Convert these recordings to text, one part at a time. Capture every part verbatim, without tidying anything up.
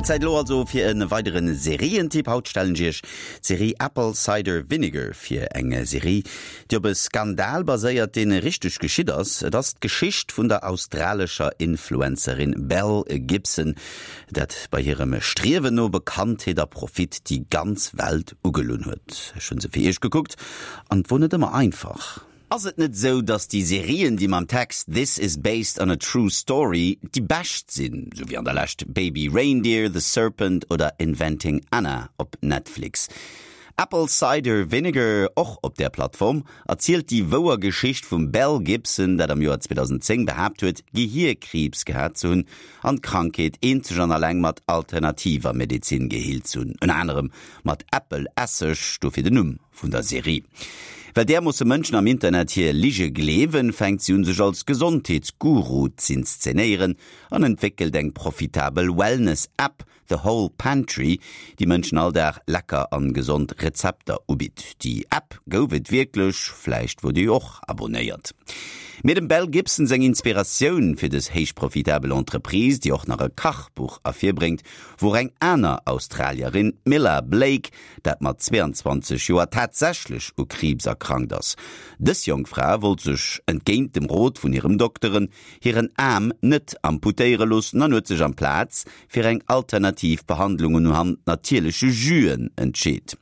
Zäit elo also fir e weideren Serientipp. Haut stellen ech iech d'Serie Apple Cider Vinegar vir. Eng Serie, déi op e Skandal baséiert, deen richteg geschitt ass. Et ass d'Geschicht vun der australescher Influencerin Belle Gibson, dat bei hirem Striewen no Bekanntheet a Profit déi ganz Welt ugelunn huet. Ech hunn se fir iech gekuckt an et wor net ëmmer einfach. Ass et net sou, dass déi Serien, déi mam Text This is based on a true story déi bescht sinn, sou wéi an der Lescht Baby Reindeer, The Serpent oder Inventing Anna op Netflix? Apple Cider Vinegar, och op där Plattform, erzielt déi wouer Geschicht vum Belle Gibson, dat am Joer zweedausendzéng behaapt huet, Gehierkriibs gehat ze hunn an d'Krankheet eenzeg an alleng mat alternativer Medezin geheelt ze hunn, ënner anerem mat Äppelesseg, dofir den Numm vun der Serie. Well därmoosse Mënschen am Internet hir Lige gleewen, fänkt si un sech als Gesondheetsguru z'inszenéieren an entwéckelt eng profitabel Wellness-App, The Whole Pantry, déi Mënschen all Dag lecker an gesond Rezepter ubitt. Déi App gouf et wierklech, vläicht wor Dir jo och abonéiert. Mee dem Belle Gibson seng Inspiratioun fir dës héich profitabel Entreprise, déi och nach e Kachbuch ervirbréngt, wor eng aner Australierin, d'Milla Blake, dat mat zweeanzwanzeg Joer tatsächlech u Kriibs erkrankt ass. Dës jonk Fra wollt sech, entgéint dem Rot vun hirem Dokteren, hiren Aarm net amputéiere loossen an huet sech amplaz fir eng alternativ Behandlung unhand natierleche Jüen entscheet.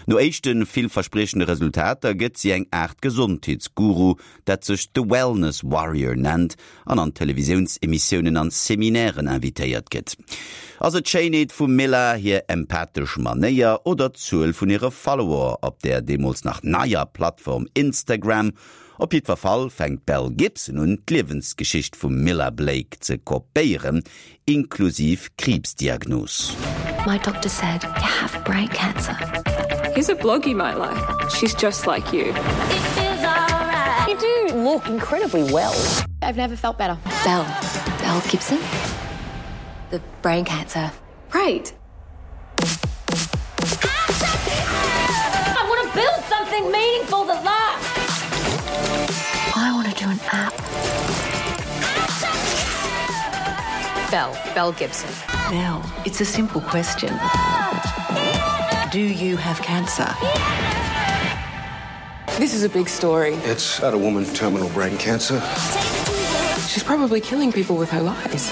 No éischte villverspriechende Resultater gëtt si eng Aart Gesondheetsguru, dat sech The Wellness Warrior nennt an an Televisiounsemissiounen an Seminairen invitéiert gëtt. Ass et d'Schéinheet vum Milla, hir empathesch Manéier oder d'Zuel vun hire Follower op der deemools nach neier Plattform Instagram? Op jiddwer Fall fänkt d'Belle Gibson un, d'Liewensgeschicht vum Milla Blake ze kopéieren, inklusiv Kriibsdiagnos. My doctor said you have brain cancer. Here's a blog you might like. She's just like you. You do look incredibly well. I've never felt better. Belle. Belle Gibson? The brain cancer. Right. I want to build something meaningful that lasts. I want to do an app. Belle. Belle Gibson. Belle, it's a simple question. Do you have cancer? This is a big story. It's about a woman with terminal brain cancer. She's probably killing people with her lies.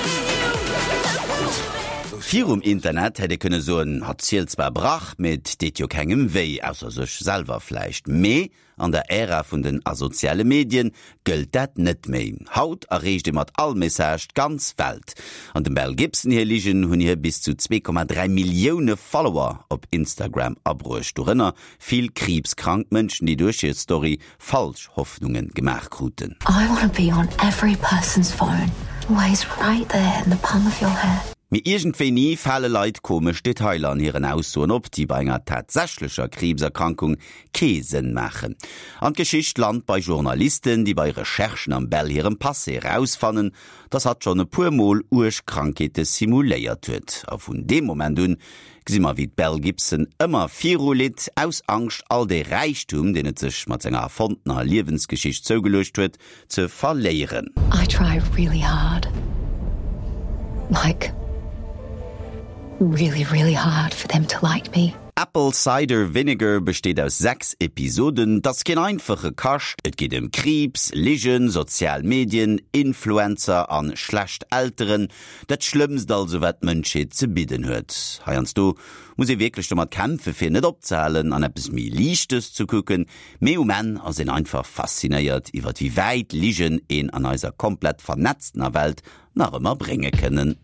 Virum Internet hätt ee kënne soen, hatt zielt zwar Brach, mee et deet jo kengem wéi, ausser sech selwer vläicht. Mee an der Ära vun den asoziale Medien gëllt dat net méi. Haut erreecht ee mat all Message d'ganz Welt. An dem Belle Gibson hir Ligen hunn hir bis zu zwee Komma dräi Millioune Follower op Instagram abruecht, dorënner vill kriibskrank Mënschen, déi duerch hir Story falsch Hoffnunge gemaach kruten. I wanna be on every person's phone, always right there in the palm of your hand. Mee iergendwéini fale Leit komesch Detailer an hiren Aussoen op, déi bei enger tatsächlecher Kriibserkrankung kee Sënn maachen. An d'Geschicht lant bei Journalisten, déi bei Recherchen am Belle hirem Passé erausfannen, dass hatt schonn e puer Mol uerg Krankheete simuléiert huet. A vun deem Moment un gesi mer, wéi d'Belle Gibson ëmmer viru litt, aus Angscht, all dee Räichtum, deen et sech mat senger erfonntener Liewensgeschicht zougeluecht huet, ze verléieren. I try really hard. Like really, really hard for them to like me. Apple Cider Vinegar besteet aus sechs Episoden. 't ass keen einfache Kascht, et geet ëm Kriibs, Ligen, sozial Medien, Influencer an schlecht Elteren, dat Schlëmmst also wat d'Mënschheet ze bidden huet. Heiansdo muss ee wierklech domat kämpfe fir net opzehalen an eppes méi Liichtes ze kucken, mee um Enn ass een einfach faszinéiert iwwert wéi wäit Ligen een an eiser komplett vernetztener Welt nach ëmmer brénge kënnen.